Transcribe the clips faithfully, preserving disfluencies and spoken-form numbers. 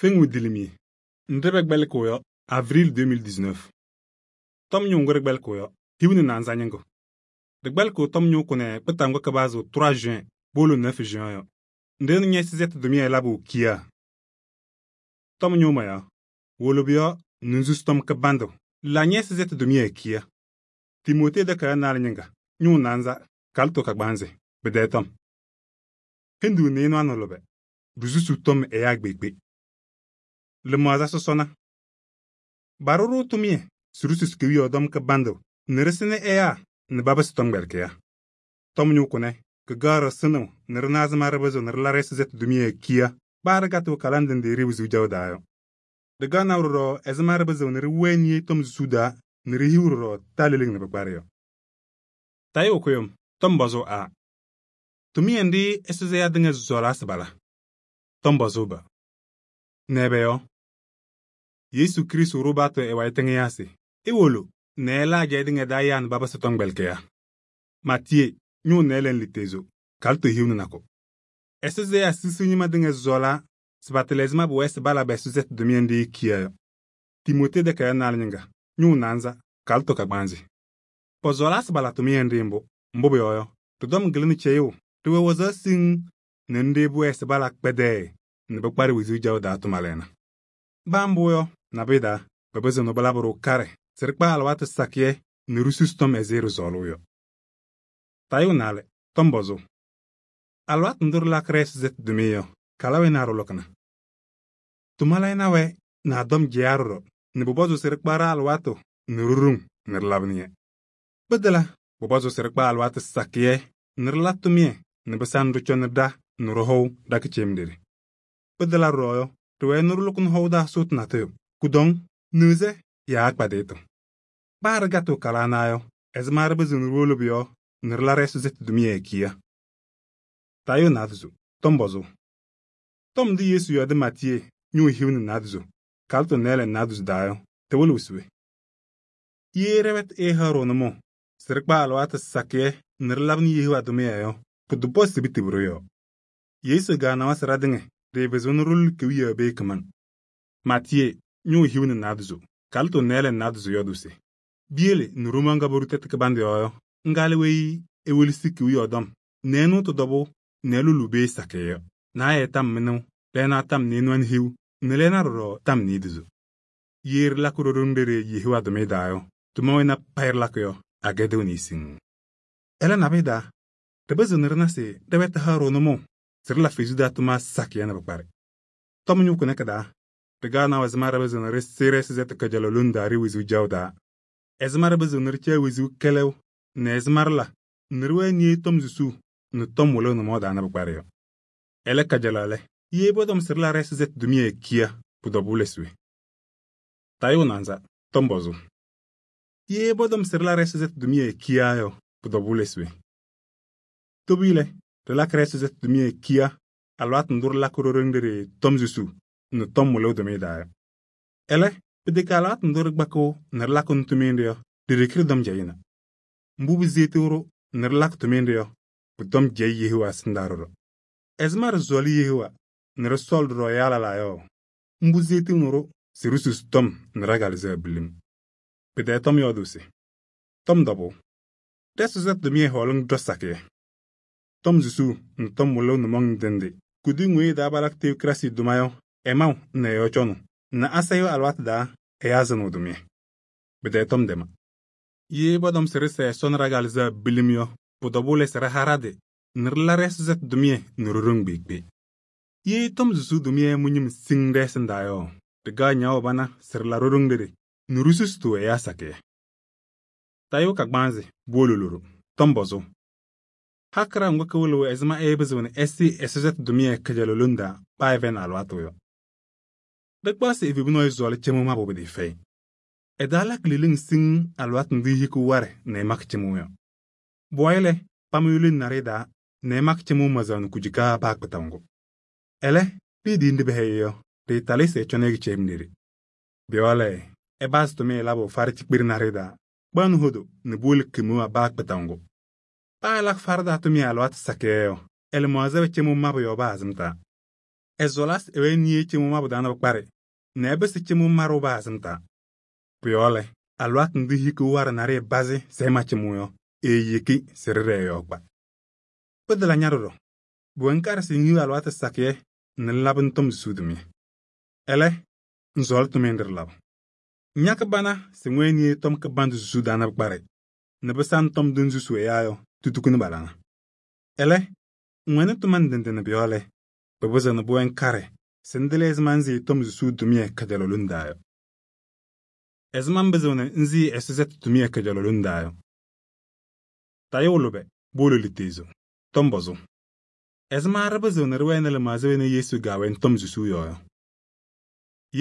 Feŋ widilimi nɖɩ pɛkpɛlɩkɩɣ yɔ avril deux mille dix-neuf. Tɔm ñʋʋ ŋgʋ ɖɩkpɛlɩkɩɣ yɔ hiu nɛ naanza ñɩŋgʋ. Ɖɩkpɛlɩkɩɣ tɔm ñʋʋ kʋnɛ kpɩtaʋ ŋgʋ kɩpazɩɣ trois juin powolo neuf juin yɔ. Nɖɩ ñɛ-sɩzɛtɩ tʋmɩyɛ labʋ kiyaa. Tɔm ñʋʋ mɔyaɣ, wolo pʋ-yɔɔ nɛ ŋsusi tɔm kɩbandʋ la ñɛ-sɩzɛtɩ tʋmɩyɛ kiya. Timootee takayaɣ naalɛ ñɩŋga ñʋʋ naanza kalɩtʋ kagbaanzɩ pɩ-tɛɛ tɔm. Hendu nɩɩnʋwa nɛ lʋbɛ, ɖisusuu tɔm ɛyaa kpeekpe. Lɩmaɣza sɔsɔna. Barʋ-ɖʋ tʋmɩyɛ se ɖisusi kewiyaɣ tɔm kɩbandʋ nɛ ɖɩsɩnɩ ɛyaa nɛ papɩsɩ tɔmkpɛlɩkɩyaa. Tɔm ñʋʋ kʋnɛ kɩkaɣ ɖɩsɩnɩɣ nɛ ɖɩna ɛzɩma ɖɩpɩzɩɣ nɛ ɖɩla ɖɛ-sɩzɛtɩ tʋmɩyɛ kiya paa ɖɩkatɩɣ kala ndɩ ndɩ ɖɩɩ wɩzʋʋ jaʋ taa yɔ. Ɖɩkaɣnɩ ɖɔɖɔ ɛzɩma ɖɩpɩzɩɣ nɛ ɖɩwɛɛ niye tɔm susuu taa nɛ ɖihiɣ ɖɔɖɔ taa leleŋ nɛ pɩkparɩ yɔ. Tayʋʋ kʋyʋm tɔm pɔzʋʋ A. Tʋmɩyɛ nɖɩ ɛsʋzɩ ɛyaa tɩŋa sɔɔlaa se bala. Tɔm pɔzʋʋ B. Nɛ ɛbɛ yɔ? Yesu Kirɩstʋ ɖʋ baatʋ ɛ-wayɩ tɩŋɩyaa se iwolo nɛ ɛla ajɛɛ tɩŋa taa ɛyaa nɛ papɩsɩ tɔmkpɛlɩkɩyaa. Maatiyee ñʋʋ nɩɩlɛ nɛ lutezo kalɩtʋ hiu nɛ nakʋ. Ɛsʋzɩ ɛyaa sisiu ñɩma tɩŋa sɔɔlaa se patɩlɩ ɛzɩma pʋwɛɛ se pala pɛ-sɩzɛtɩ tʋmɩyɛ nɖɩ kiya yɔ. Timootee takayaɣ naalɛ ñɩŋga ñʋʋ naanza kalɩtʋ kagbaanzɩ. Pɔsɔɔlaa se pala tʋmɩyɛ nɖɩ mbʋ, mbʋ pʋyɔɔ yɔ, ɖɩ-tɔm kɩlɩnɩ cɛyʋʋ ɖɩwɛ wazaɣ siŋŋ nɛ nɖɩ pʋwɛɛ se pala kpɛdɛɛ nɛ pɩkparɩ wezuu jaʋ taa tʋmalɩna. Baa mbʋ yɔ, nabʋyʋ taa, pɩpɩzɩɣ nɛ pɩlabɩ-ɖʋ karɛ se ɖɩkpa alɩwaatʋ sakɩyɛ nɛ ɖisusi tɔm ɛzɩ ɖɩsɔɔlʋʋ yɔ. Tayʋʋ naalɛ, tɔm pɔzʋʋ. Alɩwaatʋ ndʋ ɖɩlakɩ ɖɛ-sɩzɛtɩ tʋmɩyɛ yɔ, kala wɛ naa ɖɩlʋkɩna? Tʋmalɩna wɛ nɛ a-tɔm jɛya ɖɔɖɔ nɛ pʋpɔzʋʋ se ɖɩkpa ɖa-alɩwaatʋ nɛ ɖɩɖoŋ nɛ ɖɩlabɩnɩ-yɛ. Pɩtɛla pʋpɔzʋʋ se ɖɩkpa alɩwaatʋ sakɩyɛ nɛ ɖɩla tʋmɩyɛ nɛ pɩsa nɛ ɖɩcɔnɩ ɖa nɛ ɖɩhɔʋ ɖa-kɩcem ɖeɖe. Pɩtɛla ɖɔɖɔ yɔ, ɖɩwɛɛ nɛ ɖɩlʋkɩnɩ hɔʋ taa sʋʋtʋ natʋyʋ, kʋdɔŋ, nɩɣzɛ yaa kpadɩyɩtʋ. Paa ɖɩkatɩɣ kala ana yɔ, ɛzɩma ɖɩpɩzɩɣ nɛ ɖiwolo pʋ-yɔɔ nɛ ɖɩla ɖɛ-sɩzɛtɩ tʋmɩyɛ kiya. Tayʋʋ naadozo, tɔm pɔzʋʋ. Tɔm ndʋ Yesu yɔɔdɩ Maatiyee ñʋʋ hiu nɛ naadozo kalɩtʋ nɩɩlɛ nɛ naadozo taa yɔ, tɩwɩlɩɣ se we? Ye ɖɛ-wɛtʋ ɛɛhaɣ-ɖʋ nʋmɔʋ se ɖɩkpa alɩwaatʋ sakɩyɛ nɛ ɖɩlabɩnɩ Yehowa tʋmɩyɛ yɔ, pʋdʋ pɔzɩ se pɩtɩbɩ-ɖʋ yɔ. Yesu kaanawa se ɖatɩŋa ɖɩɩpɩzɩɣ nɛ ɖɩlʋlɩ kewiyaɣ pee kɩmaŋ. Maatiyee ñʋʋ hiu nɛ naadozo kalɩtʋ nɩɩlɛ nɛ naadozo yɔɔdʋ se: biyele nɛ Romaɣ ŋga poɖu tɛtʋ kɩbandʋ yɔɔ yɔ, ŋga lɛ weyi ewelesi kewiyaɣ tɔm nɛ ɛnʋ tɩ-tɔbʋʋ nɛ ɛlʋlʋ pee sakɩyɛ yɔ. Naayɛ tam mɩnʋʋ, lɛɛna tam nɩɩnʋwa nɛ hiu nɛ lɛɛna ɖɔɖɔ tam niidozo. Ye ɖɩlakɩ ɖoɖo nɖɩ ɖɩɩ Yehowa tʋmɩyɛ taa yɔ, tʋma wɛna payɩ ɖɩlakɩ yɔ, agɛdɩɣnɩ siŋŋ. Ɛlɛ nabʋyʋ daa, ɖɩpɩzɩɣ nɛ ɖɩna se ɖɛ-wɛtʋ haɣ-ɖʋ nʋmɔʋ se ɖɩla Fesu taa tʋma sakɩyɛ nɛ pɩkparɩ. Tɔm ñʋʋ kʋnɛ kɩ-taa, ɖɩkaɣnɩ ɛzɩma ɖɩpɩzɩɣ nɛ ɖɩsɩ ɖɛ-sɩzɛtɩ kajalaɣ lone taa ɖɩ wezuu jaʋ taa, ɛzɩma ɖɩpɩzɩɣ nɛ ɖɩcaɣ wezuu kɛlɛʋ nɛ ɛzɩma ɖɩla nɛ ɖɩwɛɛ niye tɔm susuu nɛ tɔm wɩlɩɣ nʋmɔʋ taa nɛ pɩkparɩ yɔ. Ɛlɛ kajalaɣ lɛ, ye pɔtɔm se ɖɩla ɖɛ-sɩzɛtɩ tʋmɩyɛ kiya, pʋ-tɔbʋʋ lɛ se we? Tayʋʋ naanza, tɔm pɔzʋʋ. Ye pɔtɔm se ɖɩla ɖɛ-sɩzɛtɩ tʋmɩyɛ kiya yɔ, pʋ-tɔbʋʋ lɛ se we? Tobiyɛ lɛ, ɖɩlakɩ ɖɛ-sɩzɛtɩ tʋmɩyɛ kiya alɩwaatʋ ndʋ ɖɩlakɩ ɖoɖo nɖɩ ɖɩɩ tɔm susuu nɛ tɔm wɩlɩɣ tʋmɩyɛ taa yɔ. Ɛlɛ, pɩtɛkɛ alɩwaatʋ ndʋ ɖɩkpakɩɣ nɛ ɖɩlakɩnɩ tʋmɩyɛ nɖɩ yɔ, ɖi-ɖeke ɖɩtɔm jɛyɩna. Mbʋ pɩzeetiɣ-ɖʋ nɛ ɖɩlakɩ tʋmɩyɛ nɖɩ yɔ, pʋtɔm jɛyɩ Yehowa ɛsɩndaa ɖɔɖɔ. Ɛzɩma ɖɩsɔɔlɩ Yehowa nɛ ɖɩsɔɔlɩ ɖɔɖɔ ɛyaa lɛlaa yɔ, mbʋ zeetiɣni-ɖʋ se ɖisusi tɔm nɛ ɖa-kalɩzaɣ bilim. Pɩtɛɛ tɔm yɔɔdʋʋ se: tɔm tɔbʋʋ, ɖɛ-sɩzɛtɩ tʋmɩyɛ hɔɔlɩŋ ɖɔ sakɩyɛ. Tɔm susuu nɛ tɔm wɩlɩɣ nʋmɔŋ ndɩ ndɩ kʋdʋ ŋoye taa palakɩ teokrasɩ tʋma yɔ, ɛmaʋ nɛ ɛ-yɔɔ cɔnʋ nɛ asayʋʋ alɩwaatʋ taa ɛyaa sɩnɩɣ tʋmɩyɛ. Pɩtɛɛ tɔm dɛma. Ye pɔtɔm se ɖɩsɛɛ Ɛsɔ nɛ ɖa-kalɩzaɣ bilim yɔ, pʋ-tɔbʋʋ lɛ se ɖɩha ɖa-tɩ nɛ ɖɩla ɖɛ-sɩzɛtɩ tʋmɩyɛ nɛ ɖɩɖoŋ kpeekpe. Ye tɔm susuu tʋmɩyɛ mʋ-ñɩm siŋŋ ɖɛ-ɛsɩndaa yɔ, ɖɩkaɣ ñaawʋ pana se ɖɩla ɖoɖoŋ ɖɩɖɩ nɛ ɖisusitʋ ɛyaa sakɩyɛ. Tayʋʋ kagbaanzɩ puwolo loɖo, tɔm pɔzʋʋ. Hakɩra ŋgʋ kɩwɩlɩɣ ɛzɩma ɛɛpɩzɩɣ nɛ ɛsɩ ɛ-sɩzɛtɩ tʋmɩyɛ kajalaɣ lone taa paa ɛfɛyɩnɩ alɩwaatʋ yɔ. Ɖɩkpaɣ se evebu nɔɔyʋ sɔɔlɩ cɩmʋʋ mabʋ pɩtɩɩfɛyɩ. Ɛdaa lakɩ leleŋ siŋŋ alɩwaatʋ ndʋ ehikiɣ warɛ nɛ ɛmakɩ cɩmʋʋ yɔ. Bʋwayɩ lɛ, pamʋ yole naɖɩyɛ daa nɛ ɛmakɩ cɩmʋʋ mazaɣ nɛ kujikaa paa kpɩtaʋ ŋgʋ. Ɛlɛ, ɖɩɩdɩɩ nɖɩ pɛhɛyɩ yɔ, ɖɩɩtalɩ se ɛcɔnɩ kɩcɛyɩm ɖeɖe. Pʋ-yɔɔ lɛ, ɛbaasɩ tʋmɩyɛ labʋ farɩ cikpere naɖɩyɛ daa, kpaɣnɩ hodo nɛ puwolo kemewaa paa kpɩtaʋ ŋgʋ. Paa ɛlakɩ farɩ taa tʋmɩyɛ alɩwaatʋ sakɩyɛ yɔ, ɛlɩmaɣza wɛ cɩmʋʋ mabʋ yɔɔ paa azɩm taa. Ɛ-sɔɔlasɩ ɛwɛɛ niye cɩmʋʋ mabʋ taa nɛ pɩkparɩ nɛ ɛpɩsɩ cɩmʋʋ marʋʋ paa-sɩm taa. Pʋ-yɔɔ lɛ, alɩwaatʋ ndʋ hikiɣ waɖɛ naɖɩyɛ bazɩ sɛɛ ma-cɩmʋʋ yɔ, eeyeki se ɖɩɖɛɛ ɛ-yɔɔ kpa. Pɩtala ña ɖɔɖɔ, pʋwɛ ŋkaɖɛ se ŋhiɣ alɩwaatʋ sakɩyɛ nɛ ŋlabɩ ŋtɔm susuu tʋmɩyɛ. Ɛlɛ, ŋsɔɔlɩ tʋmɩyɛ nɖɩ ɖɩlabʋ. Ña kɩbana se ŋwɛɛ niye tɔm kɩbandʋ susuu taa nɛ pɩkparɩ nɛ pɩsaŋ tɔm ndʋ ŋsusuu ɛyaa yɔ tutukuni balaŋa. Ɛlɛ, ŋwɛnɩ tʋma ndɩ ndɩ nɛ pʋ-yɔɔ lɛ, pɩpɩzɩɣ nɛ pʋwɛɛ ŋkaɖɛ se ŋtɩlɩ ɛzɩma ŋsɩɩ tɔm susuu tʋmɩyɛ kajalaɣ lone taa yɔ. Ɛzɩma ŋpɩzɩɣnɩ ŋsɩɩ Ɛsɔtɛtʋ tʋmɩyɛ kajalaɣ lone taa yɔ? Tayʋʋ lʋbɛ powolo liitezo, tɔm pɔzʋ. Ɛzɩma ɖɩpɩzɩɣ nɛ ɖɩwɛnɩ lɩmaɣza wena Yesu gaawɛnɩ tɔm susuu yɔɔ yɔ?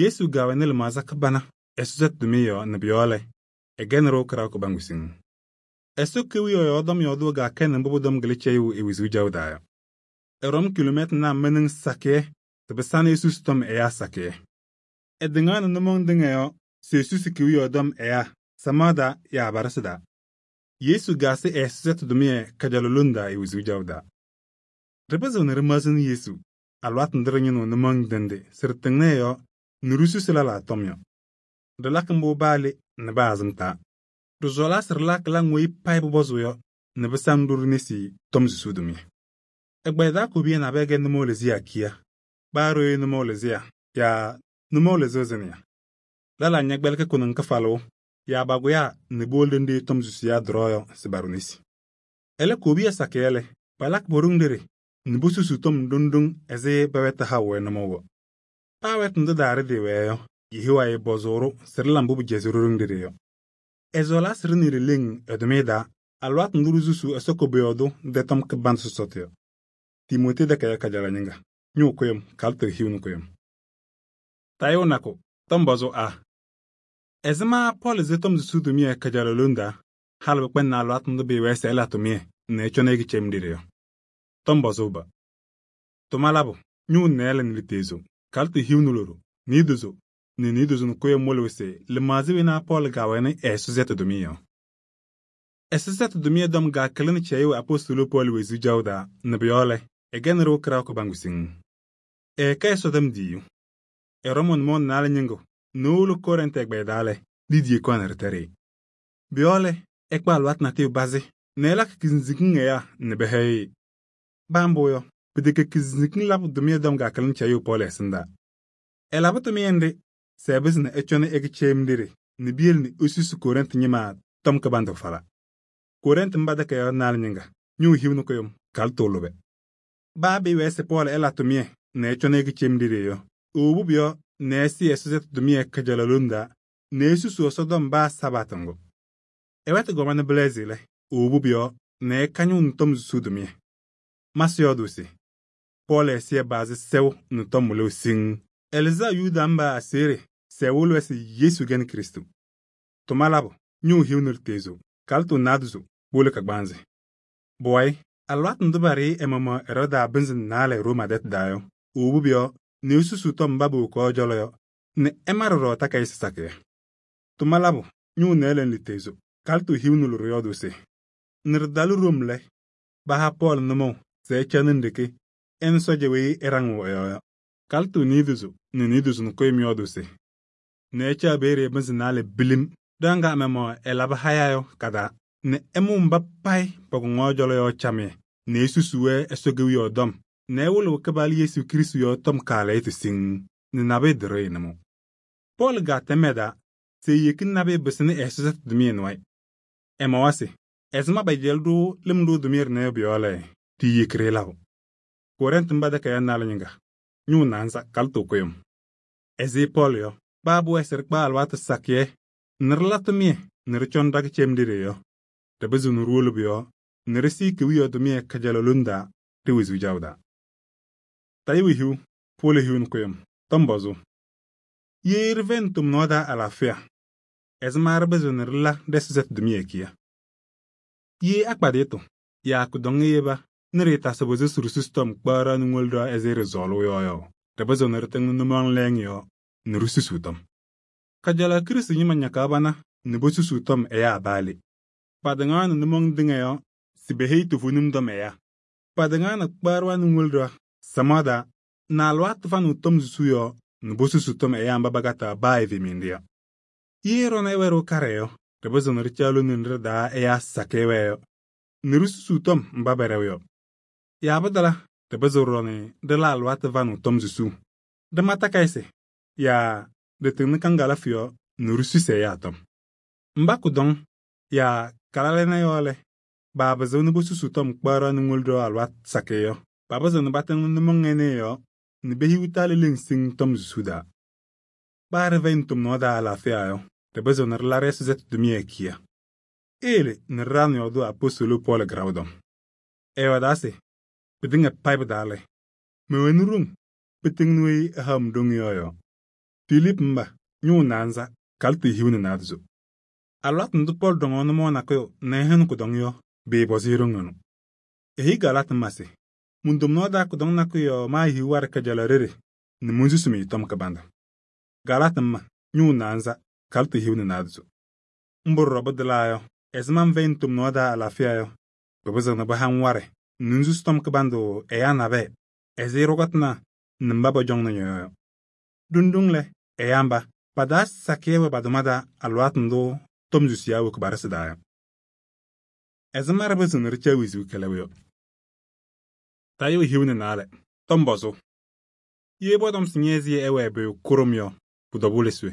Yesu gaawɛnɩ lɩmaɣza kɩbana Ɛsɔtɛtʋ tʋmɩyɛ yɔɔ nɛ pʋ-yɔɔ lɛ, ɛgɛnɩ-ɖʋ kɩɖaɣ kɩbaŋgʋ siŋŋ. Ɛsɔ Kewiyaɣ yɔɔ tɔm yɔɔdʋʋ gaakɛnɩ mbʋ pʋ-tɔm kɩlɩ cɛyʋʋ e-wezuu caɣʋ taa yɔ. Ɛɖɔm kilomɛtɩnaa mɩnɩŋ sakɩyɛ se pɩsanɩ esusi tɔm ɛyaa sakɩyɛ. Ɛtɩŋaɣnɩ nʋmɔŋ tɩŋa yɔɔ se esusi Kewiyaɣ tɔm ɛyaa samaɣ taa yaa abalɩsɩ taa. Yesu gaasɩ ɛ-Ɛsɔtɛtʋ tʋmɩyɛ kajalaɣ lone taa e-wezuu caɣʋ taa. Ɖɩpɩzɩɣ nɛ ɖɩmaɣzɩnɩ Yesu alɩwaatʋ ndʋ ɖɩñɩnɩɣ nʋmɔŋ ndɩ ndɩ se ɖɩtɩŋnɩ ɛ-yɔɔ nɛ ɖisusi lɛlaa tɔm yɔ. Ɖɩlakɩ mbʋ paa le nɛ paa sɩm taa. Ɖɩsɔɔlaa se ɖɩla kɩlaŋ weyi payɩ pʋpɔzʋʋ yɔ nɛ pɩsaŋ-ɖʋ ɖe-nesi tɔm susuu tʋmɩyɛ. Ɛgbɛyɛ taa kobiya nabɛyɛ gɛ nʋmɔʋ lɩzɩyɛ kiya, paa ɖooye nʋmɔʋ lɩzɩyɛ yaa nʋmɔʋ lɩzɩɣ zɩnɩya. Lɛlaa ñɛkpɛlɩkɩ kʋnʋŋ kɩfalʋʋ yaa bagʋyaa nɛ powolo ɖenɖe tɔm susuyaa ɖɩrɔɔ yɔ se paɖʋ nesi. Ɛlɛ kobiya sakɩyɛ lɛ, palakɩ pɔ-ɖoŋ ɖeɖe nɛ posusuu tɔm ɖoŋ ɖoŋ ɛzɩ pɛ-wɛtʋ haʋ-wɛ nʋmɔʋ yɔ. Paa wɛtʋ ndʋ daa ɖɩtɩɩwɛɛ yɔ, Yehowa ɛɛpɔzʋʋ-ɖʋ se ɖɩla mbʋ pɩjɛzɩ-ɖʋ ɖoŋ ɖeɖe yɔ. Ɛsɔɔlaa se ɖɩnɩ ɖileŋ ɛ-tʋmɩyɛ taa alɩwaatʋ ndʋ ɖisusuu Ɛsɔ koboyaɣ tʋ ndʋ tɔm kɩbandʋ sɔsɔtʋ yɔ. Timootee takayaɣ kajalaɣ ñɩŋga, ñʋʋ kʋyʋm kalɩtɔ hiu nɩ kʋyʋm. Tayʋʋ nakʋ, tɔm pɔzʋ A. Ɛzɩma Pɔɔlɩ ze tɔm susuu tʋmɩyɛ kajalaɣ lone taa halɩ pɩkpɛndɩnɩ alɩwaatʋ ndʋ pɩɩwɛɛ se ɛla tʋmɩyɛ nɛ ɛcɔnɩ ɛkɩcɛyɩm ɖeɖe yɔ? Tɔm pɔzʋ B. Tʋma labʋ, ñʋʋ nɛɛlɛ nɛ liitezo, kalɩtɔ hiu nɛ loɖo, niidozo nɛ niidozo nɛ kʋyʋm wɩlɩɣ se lɩmaɣza wena Pɔɔlɩ gaawɛnɩ ɛ-Ɛsɔtɛtʋ tʋmɩyɛ yɔ. Ɛsɔtɛtʋ tʋmɩyɛ tɔm gaakɩlɩnɩ cɛyʋʋ apostolo Pɔɔlɩ wezuu caɣʋ taa nɛ pʋ-yɔɔ lɛ, ɛgɛnɩ-ɖʋ kɩɖaɣ kɩbaŋgʋ siŋŋ. Ɛɛkɛ Ɛsɔtɔm diiyu. Ɛrɔmʋ nʋmɔʋ naalɛ ñɩŋgʋ nɛ ewolo Kɔrɛntɩ ɛgbɛyɛ taa lɛ, Liidii kɔnɩ ɖɩtɛɖɩ. Pʋ-yɔɔ lɛ, ɛkpa alɩwaatʋ natʋyʋ bazɩ nɛ ɛlakɩ kɩsiŋsikiŋ ɛyaa nɛ pɛhɛyɩ-ɩ. Paa mbʋ yɔ, pɩtɛkɛ kɩsiŋsikiŋ labʋ tʋmɩyɛ tɔm gaakɩlɩnɩ cɛyʋʋ Pɔɔlɩ ɛsɩndaa. Ɛlabɩ tʋmɩyɛ nɖɩ se ɛpɩzɩ nɛ ɛcɔnɩ ɛkɩcɛyɩm ɖeɖe nɛ piyele nɛ esusi Kɔrɛntɩ ñɩma tɔm kɩbandʋ fala. Kɔrɛntɩ mba takayaɣ naalɛ ñɩŋga, ñʋʋ hiu nɩ kʋyʋm, kalɩtɔ lʋbɛ. Baa pɩɩwɛɛ se Pɔɔlɩ ɛla tʋmɩyɛ nɛ ɛcɔnɩ ɛkɩcɛyɩm ɖeɖe yɔ, ewobu pʋ-yɔɔ nɛ ɛsɩ Ɛsɔtɛtʋ tʋmɩyɛ kajalaɣ lone taa nɛ esusu Ɛsɔtɔm baa Sabatɩ ŋgʋ. Ɛwɛtɩ gɔma nɛ bɩlɛɛzɩ lɛ, ewobu pʋ-yɔɔ nɛ ɛkañʋʋ nɛ tɔm susuu tʋmɩyɛ. Masɩ yɔɔdʋʋ se Pɔɔlɩ ɛsɩyɛ baazɩ sɛʋ nɛ tɔm wɩlɩɣ siŋŋ. Ɛlɩzaɣ Yuda mba aseɣɖe se ɛwɩlɩ-wɛ se Yesu kɛnɩ Krɩstʋ. Tʋma labʋ, ñʋʋ hiu nɛ liitezo, kalɩtɔ naadozo powolo kagbaanzɩ. Bʋwayɩ, alɩwaatʋ ndʋ paɖɩyɩ ɛ-maɣmaɣ Ɛrɔɔda pɩnzɩ naalɛ Rooma tɛtʋ taa yɔ, ewobu pʋ-yɔɔ nɛ esusuu tɔm mba powokaɣ ɛ-cɔlɔ yɔ nɛ ɛma ɖɔɖɔ takayɩsɩ sakɩyɛ. Tʋma labʋ, ñʋʋ nɛɛlɛ nɛ liitezo, kalɩtɔ hiu nɛ loɖo yɔɔdʋʋ se nɩ ɖɩtalɩ Rom lɛ, paha Pɔɔlɩ nʋmɔʋ se ɛcanɩ ndeke ɛnɩ sɔɔja weyi ɛɖaŋɩɣ ɛ-yɔɔ yɔ. Kalɩtɔ niidozo nɛ niidozo nɛ kʋyʋm yɔɔdʋʋ se nɛ ɛcaɣ Beeree pɩnzɩ naalɛ bilim ɖɩɣa ŋga ɛ-maɣmaɣ ɛlabɩ haya yɔ ka-taa nɛ ɛmʋʋ mba payɩ pɔkɔŋaɣ ɛ-cɔlɔ yɔ camɩyɛ nɛ esusuu-wɛ Ɛsɔ Kewiyaɣ tɔm nɛ ɛwɩlɩɣ Kɩpaala Yesu Kirɩstʋ yɔɔ tɔm kaalɛyɩtʋ siŋŋ nɛ nabɩyɛ ɖɩrɩɣ nʋmɔʋ. Pɔɔlɩ gaatɛm ɛ-taa se eyeki nabɩyɛ pɩsɩnɩ Ɛsɔtɛtʋ tʋmɩyɛ nɩ wayɩ. Ɛmawa se ɛzɩma pɛjɛlɩ-ɖʋ lɩm ɖʋ tʋmɩyɛ ɖɩnɛ yɔ pʋ-yɔɔ lɛ, tɩ-yeki-ɖɩ labʋ. Kɔrɛntɩ mba takayaɣ naalɛ ñɩŋga, ñʋʋ naanza kalɩtɔ kʋyʋm. Ɛzɩ Pɔɔlɩ yɔ, paa pʋwɛɛ se ɖɩkpa alɩwaatʋ sakɩyɛ nɛ ɖɩla tʋmɩyɛ nɛ ɖɩcɔnɩ ɖa-kɩcɛyɩm ɖeɖe yɔ, ɖɩpɩzɩɣ nɛ ɖiwolo pʋ-yɔɔ nɛ ɖɩsɩɩ Kewiyaɣ tʋmɩyɛ kajalaɣ lone taa ɖe-wezuu caɣʋ taa. Tayʋʋ hiu, powolo hiu nɩ kʋyʋm, tɔm pɔzʋ. Ye ɖɩfɛyɩnɩ tomnaɣ taa alaafɩya, ɛzɩma ɖɩpɩzɩɣ nɛ ɖɩla ɖɛ-Ɛsɔtɛtʋ tʋmɩyɛ kiya? Ye akpadɩyɩtʋ yaa kʋdɔŋɩ yeba nɛ ɖɩɩtasɩ pʋzɩ se ɖisusi tɔm kpaɣaɣ nɛ ŋwolo ɖɩɣa ɛzɩ ɖɩsɔɔlʋʋ yɔ yɔ, ɖɩpɩzɩɣ nɛ ɖɩtɩŋnɩ nʋmɔŋ lɛɛŋ yɔɔ nɛ ɖisusuu tɔm. Kajalaɣ Kirɩstʋ ñɩma ñakaɣ bana nɛ posusuu tɔm ɛyaa baa le. Patɩŋaɣnɩ nʋmɔŋ tɩŋa yɔɔ se peheyi toovenim tɔm ɛyaa. Patɩŋaɣnɩ kpaɣaɣ nɛ ŋwolo ɖɩɣa samaɣ taa na alɩwaatʋ fanɩɣ tɔm susuu yɔɔ nɛ posusi tɔm ɛyaa mba pakataɣ baa evemendi yɔ. Ye ɖɔnɔ ɛwɛɖɩɣ kaɖɛ yɔ, ɖɩpɩzɩɣ nɛ ɖɩcaɣ lone nɖɩ ɖɩ-taa ɛyaa sakɩyɛ wɛɛ yɔ nɛ ɖisusuu tɔm mba pɛɖɛɣ yɔ. Yaa pɩtala, ɖɩpɩzɩɣ ɖɔɖɔ nɛ ɖɩla alɩwaatʋ fanɩɣ tɔm susuu, ɖɩma takayɩsɩ yaa ɖɩtɩŋnɩ kaŋgalafʋ yɔɔ nɛ ɖisusi ɛyaa tɔm. Mba kʋdɔŋ yaa kalalɩnɩ yɔɔ lɛ, paapɩzɩɣ nɛ posusu tɔm kpaɣ nɛ ŋwolo ɖɔ alɩwaatʋ sakɩyɛ yɔ, papɩzɩɣ nɛ patɩŋnɩ nʋmɔŋ ɛnɛ yɔɔ nɛ pehiɣ talɩ leŋ siŋ tɔm susuu daa. Paa ɖɩfɛyɩnɩ tomnaɣ taa alaafɩya yɔ, ɖɩpɩzɩɣ nɛ ɖɩla ɖɛ-ɛzɩtʋ tʋmɩyɛ kiya. Eyele nɛ ɖɩɖaɣnɩ yɔɔdʋʋ apostoli Pɔɔlɩ gɩraʋ-dɔm. Ɛyɔɔdaa se: pɩtɩŋa payɩ pɩ-taa lɛ, mɛwɛnɩ ɖoŋ pɩtɩŋnɩ weyi ɛhaɣ-m ɖoŋ yɔ yɔɔ. Filiipu mba, ñʋʋ naanza, kalɩtɩ hiu nɛ naadozo. Alɩwaatʋ ndʋ Pɔɔlɩ ɖɔŋaɣ nʋmɔʋ nakʋyʋ nɛ ɛhɛnɩ kʋdɔŋ yɔ, pɩɩpɔzɩ-ɩ ɖoŋ ɛnʋ. Eheyi Galaatɩ mba se: mon-tomnaɣ taa kʋdɔŋ nakʋyʋ yɔɔ maahiɣ waɖɛ kajalaɣ ɖeɖe nɛ monsusi-mɩ tɔm kɩbandʋ. Galaatɩ mba, ñʋʋ naanza, kalɩtɩ hiu nɛ naadozo. Mbʋ ɖɔɖɔ pɩtɩlaa yɔ, ɛzɩma ŋfɛyɩnɩ tomnaɣ taa alaafɩya yɔ, pɩpɩzɩɣ nɛ pɩha-ŋ waɖɛ nɛ ŋsusi tɔm kɩbandʋ ɛyaa nabɛyɛ ɛzɩ ɖʋkɔtɩnaa nɛ mba pɔcɔŋnɩ ñɔ-yɔɔ yɔ. Ɖoŋ-ɖoŋ lɛ, ɛyaa mba, pa-taa sakɩyɛ wɛ pa-tʋma taa alɩwaatʋ ndʋ tɔm susiyaa woki pa-ɖɩsɩ taa yɔ. Ɛzɩma ɖɩpɩzɩɣ nɛ ɖɩcaɣ wezuu kɛlɛʋ yɔ. Tayʋʋ hiu nɛ naalɛ, tɔm pɔzʋʋ. Ye pɔtɔm se ñɛ-ɛzɩyɛ ɛwɛɛ pʋyʋ kʋɖʋm yɔ, pʋ-tɔbʋʋ lɛ se we?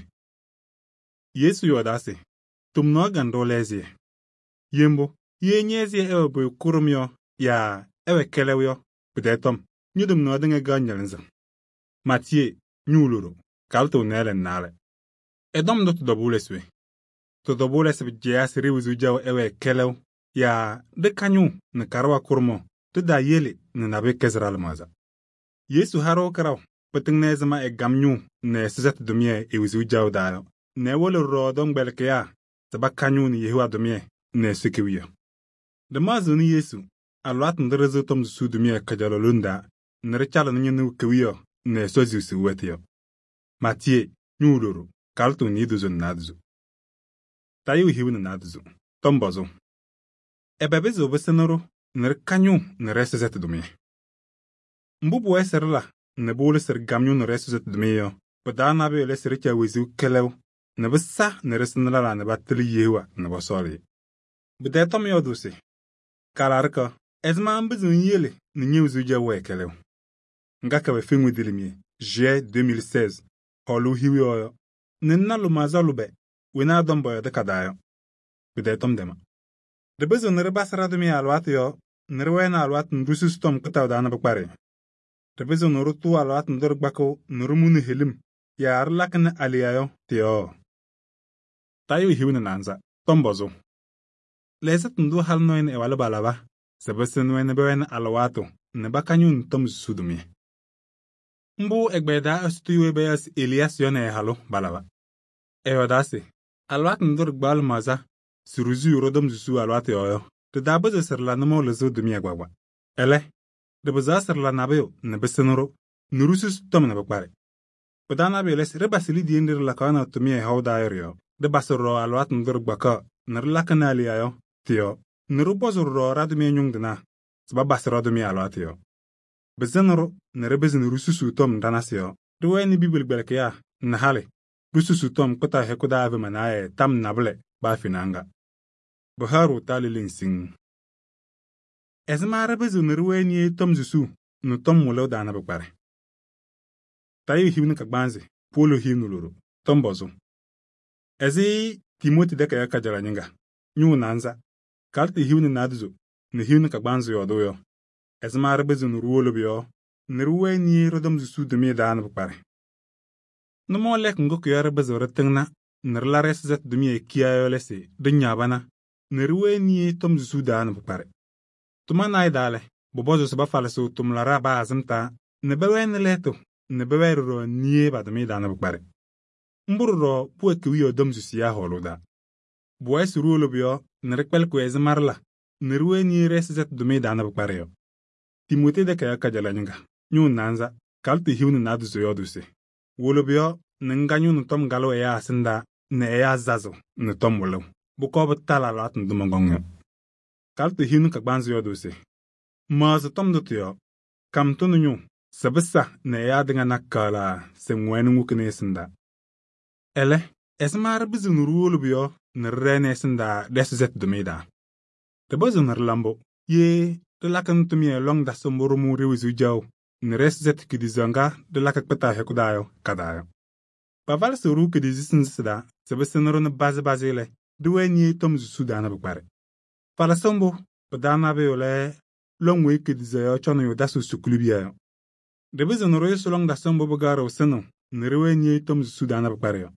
Yesu yɔɔdaa se: tomnaɣ kanɖʋ lɛ ɛzɩyɛ. Ye mbʋ, ye ñɛ-ɛzɩyɛ ɛwɛ pʋyʋ kʋɖʋm yɔ yaa ɛwɛ kɛlɛʋ yɔ, pɩtɛɛ tɔm, ño-tomnaɣ tɩŋa kaɣ ñɩlɩzɩŋ. Maatiyee, ñʋʋ loɖo, kalɩtɩ nɛɛlɛ nɛ naalɛ. Ɛ-tɔm ndʋ tɩ-tɔbʋʋ lɛ se we? Tɩ-tɔbʋʋ lɛ se pɩdzɛyaa se ɖe-wezuu jaʋ ɛwɛɛ kɛlɛʋ yaa ɖɩ-kañʋʋ nɛ kaɖʋwa kʋɖʋmaɣ tɩ-taa yele nɛ nabʋyʋ kɛzɩ ɖa-lɩmaɣza. Yesu ha-ɖʋ kɩraʋ pɩtɩŋnɩ ɛzɩma ɛgam ñʋʋ nɛ ɛsɩsɛtʋ tʋmɩyɛ e-wezuu jaʋ taa yɔ nɛ ɛwɩlɩ ɖɔɖɔ tɔmkpɛlɩkɩyaa se paka ñʋʋ nɛ Yehowa tʋmɩyɛ nɛ Ɛsɔ kewiyaɣ. Ɖɩmaɣzɩɣnɩ Yesu alɩwaatʋ ndʋ ɖɩsɩɣ tɔm susuu tʋmɩyɛ kajalaɣ lone taa nɛ ɖɩcalɩnɩ ñɩnʋ kewiyaɣ nɛ Ɛsɔ ziɣsiɣ wɛtʋ yɔ. Maatiyee, ñʋʋ loɖo, kalɩtɩ niidozo nɛ naadozo. Tayʋʋ hiu nɛ naadozo, tɔm pɔzʋʋ. Ɛbɛ pɩzɩɣ pɩsɩnɩ-ɖʋ nɛ ɖɩka ñʋʋ nɛ ɖɛ-ɛsɩsɛtʋ tʋmɩyɛ? Mbʋ pʋwɛɛ se ɖɩla nɛ pɩwɩlɩ se ɖɩgam ñʋʋ nɛ ɖɛ-ɛsɩsɛtʋ tʋmɩyɛ yɔ, pɩ-taa nabʋyʋ lɛ se ɖɩcaɣ wezuu kɛlɛʋ nɛ pɩsa nɛ ɖɩsɩnɩ lɛlaa nɛ patɩlɩ Yehowa nɛ pɔsɔɔlɩ-ɩ. Pɩtɛɛ tɔm yɔɔdʋʋ se: kalaɖɩka, ɛzɩma ŋpɩzɩɣ ŋyele nɛ ñe-wezuu jaʋ wɛɛ kɛlɛʋ? Ŋga kɛwɛ feŋwe dilimie, juillet deux mille seize, hɔɔlʋʋ hiu yɔɔ yɔ, nɛ ŋna lʋmaɣza lʋbɛ wenaa tɔm bɔyɔdɩ ka-taa yɔ. Pɩtɛɛ tɔm dɛma. Ɖɩpɩzɩɣ nɛ ɖɩbasɩ ɖa-tʋmɩyɛ alɩwaatʋ yɔɔ nɛ ɖɩwɛnɩ alɩwaatʋ ndʋ ɖisusi tɔm kpɩtaʋ taa nɛ pɩkparɩ. Ɖɩpɩzɩɣ nɛ ɖɩtʋʋ alɩwaatʋ ndʋ ɖɩkpakɩɣ nɛ ɖɩmʋnɩ helim yaa ɖɩlakɩnɩ aleya yɔ tɩ-yɔɔ. Tayʋʋ hiu nɛ naanza, tɔm pɔzʋʋ. Lɛɛsɩtʋ ndʋ halɩ nɔɔyɩ nɛ ɛ-walʋ palaba se pɩsɩnɩ-wɛ nɛ pɛwɛnɩ alɩwaatʋ nɛ paka ñʋʋ nɛ tɔm susuu tʋmɩyɛ. Mbʋ ɛgbɛyɛ daa Ɛsɔ weyi payaɣ se Eliyaasɩ yɔ nɛ ɛ-halʋ palaba. Ɛyɔɔdaa se: alɩwaatʋ ndʋ ɖɩkpaɣ lɩmaɣza se ɖizuu ɖɔ-tɔm susuu alɩwaatʋ yɔɔ yɔ, ɖɩtaapɩzɩɣ se ɖɩla nʋmɔʋ lɩzɩɣ tʋmɩyɛ gbaagba. Ɛlɛ, ɖɩpɩzaɣ se ɖɩla nabʋyʋ nɛ pɩsɩnɩ-ɖʋ nɛ ɖisusi tɔm nɛ pɩkparɩ. Pɩ-taa nabʋyʋ lɛ se ɖɩbasɩ lidiye nɖɩ ɖɩlakaɣnɩ tʋmɩyɛ hɔʋ taa yɔ ɖɩ-yɔɔ. Ɖɩbasɩ ɖɔɖɔ alɩwaatʋ ndʋ ɖɩkpakaɣ nɛ ɖɩlakɩnɩ aleya yɔ tɩ-yɔɔ nɛ ɖɩpɔzʋ ɖɔɖɔ ɖa-tʋmɩyɛ ñʋŋ tɩnaa se babasɩ ɖa-tʋmɩyɛ alɩwaatʋ yɔɔ. Pɩsɩnɩ-ɖʋ nɛ ɖɩpɩzɩ nɛ ɖisusuu tɔm ɖa-nasɩ yɔɔ. Ɖɩwɛnɩ Bibeli gbɛlɩkɩyaa nɛ halɩ ɖisusuu tɔm kpɩtaʋ hɛkʋ daa ɛvɩ tam nabʋlɛ baa fena ŋga. Pɩhaɣ-ɖʋ talɩ leŋ siŋŋ. Ɛzɩma ɖɩpɩzɩɣ nɛ ɖɩwɛnɩ tɔm susuu nɛ tɔm wɩlɩɣ daa nɛ pɩkparɩ? Tayʋʋ hiu nɛ kagbaanzɩ, polo hiu nɛ loɖo, tɔm pɔzʋʋ. Ɛzɩ Timooti dɛkɛyɛ kajalaɣ ñɩŋga, ñʋʋ naanza, kalɩtɩ hiu nɛ naadozo nɛ hiu nɛ kagbaanzɩ yɔɔdʋʋ yɔ, ɛzɩma ɖɩpɩzɩɣ nɛ ɖiwolo pʋ-yɔɔ nɛ ɖɩwɛnɩ ɖɔ-tɔm susuu tʋmɩyɛ daa nɛ pɩkparɩ? Nʋmɔʋ lɛɛkʋ ŋgʋ kʋ-yɔɔ ɖɩpɩzɩɣ ɖɩtɩŋna nɛ ɖɩla ɖɛ-ɛzɩsɛtʋ tʋmɩyɛ kiya yɔ lɛ se ɖɩñaɣ bana nɛ ɖɩwɛnɩ tɔm susuu daa nɛ pɩkparɩ. Tʋma naayɩ daa lɛ, pʋpɔzʋʋ se pafalɩsɩɣ tʋmlaɖaa baa azɩm taa nɛ pɛwɛnɩ lɛɛtʋ nɛ pɛwɛɛ ɖɔɖɔ niye pa-tʋmɩyɛ daa nɛ pɩkparɩ. Mbʋ ɖɔɖɔ pʋwɛ kewiyaɣ tɔm susiyaa hɔɔlʋʋ daa. Pʋwɛɛ se ɖiwolo pʋ-yɔɔ nɛ ɖɩkpɛlɩkɩ-wɛ ɛzɩma ɖɩla nɛ ɖɩwɛnɩ ɖɛ-ɛzɩsɛtʋ tʋmɩyɛ daa nɛ pɩkparɩ yɔ. Timootee dɛkɛyɛ kajalaɣ ñɩŋga, ñʋʋ naanza, kalɩtɩ hiu nɛ naadozo yɔɔdʋʋ se: wolo pʋ-yɔɔ nɛ ŋga ñʋʋ nɛ tɔm galʋ ɛyaa ɛsɩndaa nɛ ɛyaa zazʋ nɛ tɔm wɩlɩɣ. Bʋkɔɔ pɩtalɩ alɩwaatʋ ndʋ mɔnkɔŋ yɔ. Kalɩtɩ hiu nɛ kagbaanzɩ yɔɔdʋʋ se: maɣzɩ tɔm ndʋ tɩ-yɔɔ, kam tʋnɩ ñʋʋ sabisa nɛ ɛyaa tɩŋa na kaɣlaa se ŋwɛnɩ ŋwokini ɛsɩndaa. Ɛlɛ, ɛzɩma ɖɩpɩzɩɣ nɛ ɖiwolo pʋ-yɔɔ nɛ ɖɩɖɛɛnɩ ɛsɩndaa ɖɛ-ɛzɩzɛtɩ tʋmɩyɛ daa? Ɖɩpɩzɩɣ nɛ ɖɩla mbʋ ye ɖɩlakɩnɩ tʋmɩyɛ lɔŋ dasɩ mbʋ ɖɩmʋʋ ɖe-wezuu jaʋ nɛ ɖɛ-ɛzɩzɛtɩ kidizaɣ ŋga ɖɩlakɩ kpɩtaɣ hɛkʋ daa yɔ ka-daa yɔ. Pavalɩsɩɣ-ɖʋ kidizisi nzɩ daa se pɩsɩnɩ-ɖʋ nɛ bazɩ-bazɩ lɛ, ɖɩwɛɛ niye tɔm susuu daa nɛ pɩkparɛ. Palɩsɩ mbʋ pɩ-taa nabʋyʋ lɛ lɔŋ weyi kidizaɣ yɔ cɔnɩyʋ dasɩɣ sukuli biya yɔ. Ɖɩpɩzɩɣ nɛ ɖɩyʋsɩ lɔŋ dasɩ mbʋ pɩgaɣrɩɣ sɩnɩɣ nɛ ɖɩwɛɛ niye tɔm susuu daa nɛ pɩkparɛ yɔ.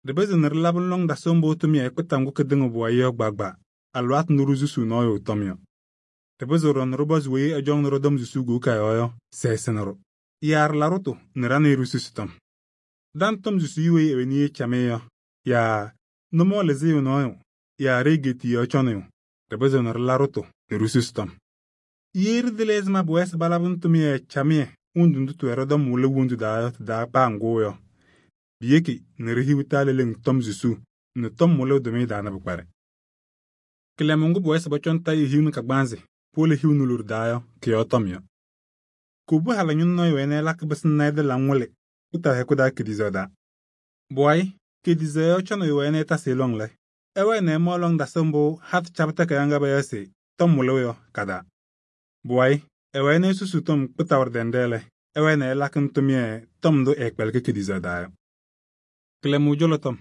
Ɖɩpɩzɩɣ nɛ ɖɩlabɩnɩ lɔŋ dasɩ mbʋ tʋmɩyɛ kpɩta ŋgʋ kɩtɩŋɩɣ pʋwayɩ yɔ gbaagba alɩwaatʋ ndʋ ɖisusuu nɔɔyʋ tɔm yɔ. Ɖɩpɩzɩɣ ɖɔɖɔ nɛ ɖɩpɔzɩ weyi ɛjɔŋnɩ ɖɔ-tɔm susuu goka yɔɔ yɔ se ɛsɩnɩ-ɖʋ. Yaa ɖɩla-ɖʋ-tʋ nɛ ɖa nɛ ɩ ɖisusi tɔm. Ɖa nɛ tɔm susuu weyi ɛwɛ niye camɩyɛ yɔ, yaa nʋmɔɔ lɩzɩɣ nɔɔyʋ, yaa ɖe-egeti yɔ cɔnɩyʋ, ɖɩpɩzɩɣ nɛ ɖɩla-ɖʋ-tʋ nɛ ɖisusi tɔm. Ye ɖɩtɩlɩ ɛzɩma pʋwɛɛ se palabɩnɩ tʋmɩyɛ camɩyɛ wondu ndʋ tɩwɛ ɖɔ-tɔm wɩlɩ wondu daa yɔ tɩ-taa paa ŋgʋ yɔ, piyeki nɛ ɖihiɣ taa leleŋ tɔm susuu nɛ tɔm wɩlɩɣ tʋmɩyɛ daa nɛ pɩkparɛ. Kɩlɛmʋ ŋgʋ pʋwɛɛ se pɔcɔŋ tayɩ hiu nɛ kagbaanzɩ powolo hiu nɛ loɖo daa yɔ, kɩ-yɔɔ tɔm yɔ. Kobu hala ñʋŋ nɔɔyʋ wɛnɩ ɛlakɩ pɩsɩnɩ ɛdɩ-laŋ wɩlɩ kpɩtaɣ hɛkʋ daa kidizaɣ daa. Bʋwayɩ, kidizaɣ yɔ cɔnɩyʋ wɛnɩ ɛtasɩ lɔŋ lɛ, ɛwɛɛ nɛ ɛmaɣ lɔŋ dasɩ mbʋ hatʋ cabɩ takayaɣ ŋga payaɣ se tɔm wɩlɩɣ yɔ ka-daa. Bʋwayɩ, ɛwɛɛ nɛ ɛsusuu tɔm kpɩtaɣ ɖɛndɛɛ lɛ, ɛwɛɛ nɛ ɛlakɩnɩ tʋmɩyɛ tɔm ndʋ ɛɛkpɛlɩkɩ kidizaɣ daa yɔ. Kɩlɛmʋ jɔlɔ tɔm.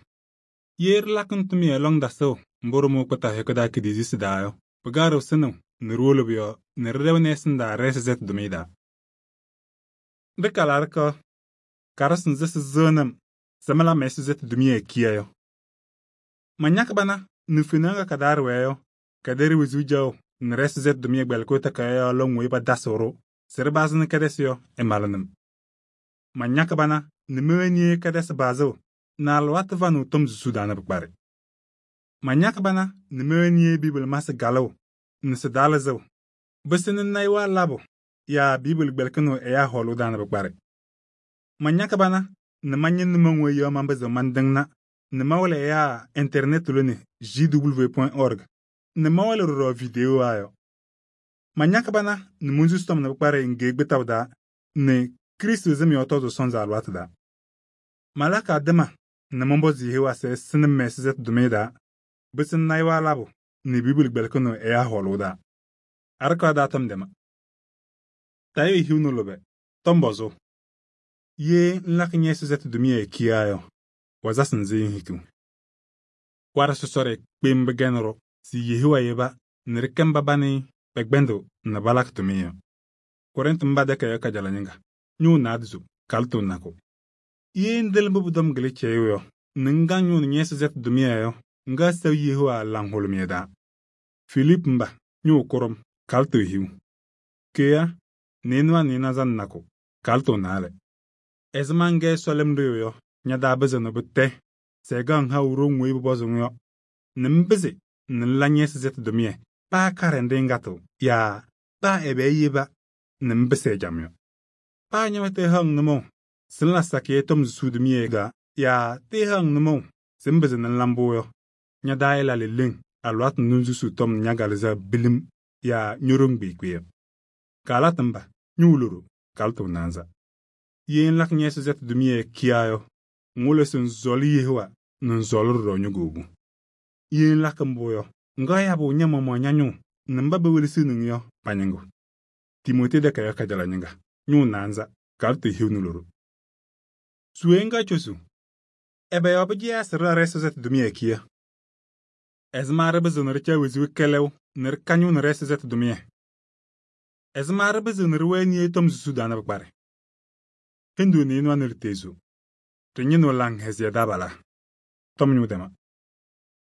Ye ɖɩlakɩnɩ tʋmɩyɛ lɔŋ dasɩɣ mbʋ ɖɩmʋʋ kpɩtaɣ hɛkʋ daa kidizisi daa yɔ, pɩgaɣrɩɣ sɩnɩɣ nɛ ɖiwolo pʋ-yɔɔ nɛ ɖɩɖɛʋnɩ ɛsɩndaa ɖɛ-ɛzɩzɛtɩ tʋmɩyɛ daa. Ɖɩkala ɖɩkɔ karɩsɩ nzɩ sɩzɩɣnɩ-m se mɩla mɛ-ɛzɩzɛtɩ tʋmɩyɛ kiya yɔ. Mañakɩ bana nɛ fenaɣ ŋga ka-daa ɖɩwɛɛ yɔ, kɛdɛ ɖe-wezuu jaʋ nɛ ɖɛ-ɛzɩzɛtɩ tʋmɩyɛ gbɛlɩkɩɣ takayaɣ yɔɔ lɔŋ weyi padasɩɣ-ɖʋ se ɖɩbazɩnɩ kɛdɛsɩ yɔ ɛmalɩnɩ-m. Mañakɩ bana nɛ mɛwɛɛ niye kɛdɛsɩ baazɩɣ nɛ alɩwaatʋ vanɩɣ tɔm susuu daa nɛ pɩkparɛ. Mañakɩ bana nɛ mɛwɛɛ niye Biibuli masɩ galɩɣ nɛ sɩ-daa lɩzɩɣ, bɩsɩnɩ nayɩwaa labʋ yaa Biibuli gbɛlɩkɩnɩɣ ɛyaa hɔɔlʋʋ daa nɛ pɩkparɛ. Mañakɩ bana nɛ mañɩŋ nʋmɔŋ weyi yɔ mapɩzɩɣ mantɩŋna nɛ mawɩlɩ ɛyaa ɛnternet lone j w point org nɛ mawɩlɩ ɖɔɖɔ videowaa yɔ. Mañakɩ bana nɛ monsusi tɔm nɛ pɩkparɛ ŋgee gbɩtaʋ daa nɛ Kristi zɩm yɔɔ tɔzʋʋ sɔnzɩ alɩwaatʋ daa. Malakɩ adɩma nɛ mɔnpɔzɩ Yehowa se ɛsɩnɩ-m mɛ-ɛzɩzɛtɩ tʋmɩyɛ daa, bɩsɩnɩ nayɩwaa labʋ nɛ Biibuli gbɛlɩkɩnɩɣ ɛyaa hɔɔlʋʋ daa. Adɩkɔɔ daa tɔm dɛma. Tayɩ hiu nɛ lʋbɛ, tɔm bɔzʋʋ. Ye ŋlakɩ ñɛ-ɛzɩzɛtɩ tʋmɩyɛ kiya yɔ, wazasɩ nzɩ ŋhikiɣ. Warɛ sɔsɔɖɛ kpem bɩgɛnɩ-ɖʋ sɩ Yehowa yeba nɛ ɖɩkɛ mba ba nɩ pɛkpɛndɩɣ nɛ balakɩ tʋmɩyɛ yɔ. Kɔrɩntɩ mba dɛkɛ yɔ kajala ñɩŋga, ñʋʋ naadɩzo, kalɩtʋ nakʋ. Ye ŋdɩlɩ mbʋ pʋ-tɔm gɩlɩ cɛyʋʋ yɔ, nɛ ŋga ñʋʋ nɛ ñɛ-ɛzɩzɛtɩ tʋmɩyɛ yɔ, ŋga sɛbɩ Yehowa laŋhʋlʋmɩyɛ daa. Filip mba, ñʋʋ kʋrʋm, kalɩtʋ hiu. Keya, nɩɩnʋwa nɩɩnaza nɛ nakʋ, kalɩtʋ naalɛ. Ɛzɩma ŋgɛ Ɛsɔ lɩm ɖɩɣʋ yɔ, ña-daa bɩzɩ nɛ bɩtɛ se ɛgaɣ ŋhaʋ ɖoŋ weyi pʋpɔzɩɣ yɔ, nɛ ŋbɩzɩ nɛ ŋla ñɛ-ɛzɩzɛtɩ tʋmɩyɛ paa karɩndɩ ŋgatɩɣ yaa paa ɛbɛɛ yeba nɛ ŋbɩsɩ ɛjam yɔ. Paa ña tɩɩhaɣ-ŋ nʋmɔʋ se ŋla sakɩyɛ tɔm susuu tʋmɩyɛ daa yaa tɩɩhaɣ-ŋ nʋmɔʋ se ŋbɩzɩ nɛ ŋla mbʋ yɔ, ña-daa yɛla leleŋ alɩwaatʋ ndʋ ŋsusuu tɔm nɛ ña-galɩzaɣ bilim yaa ño-ɖoŋ kpeekpe yɔ. Kaalatɩ mba, ñʋʋ loɖo, kalɩtʋ naanza. Ye ŋlakɩ ñɛ-ɛzɩzɛtɩ tʋmɩyɛ kiya yɔ, ŋwʋlɩ se ŋsɔɔlɩ Yehowa nɛ ŋsɔɔlɩ ɖɔɖɔ ño-goobu. Ye ŋlakɩ mbʋ yɔ, ŋga yabʋ ña-maɣmaɣ ña-ñʋʋ nɛ mba pewelesiɣni-ŋ yɔ pa-ñɩŋgʋ. Timote dɛkɛ yɔ kajala ñɩŋga, ñʋʋ naanza, kalɩtʋ hiu nɛ loɖo. Suwe ŋga cosu, ɛbɛ yɔɔ pɩdzɩɣa se ɖɩla ɖɛ-ɛzɩzɛtɩ tʋmɩyɛ kiya? Ɛzɩma ɖɩpɩzɩɣ nɛ ɖɩca wezuu kɛlɛʋ nɛ ɖɩka ñʋʋ nɛ ɖɛ-ɛzɩzɛtɩ tʋmɩyɛ? Ɛzɩma ɖɩpɩzɩɣ nɛ ɖɩwɛɛ niye tɔm susuu daa nɛ pɩkparɛ? Hindu nɩɩnʋwa nɛ ɖɩteezo, ɖɩñɩnɩɣ laŋhɛzɩyɛ dabala. Tɔm ñʋʋ dɛma.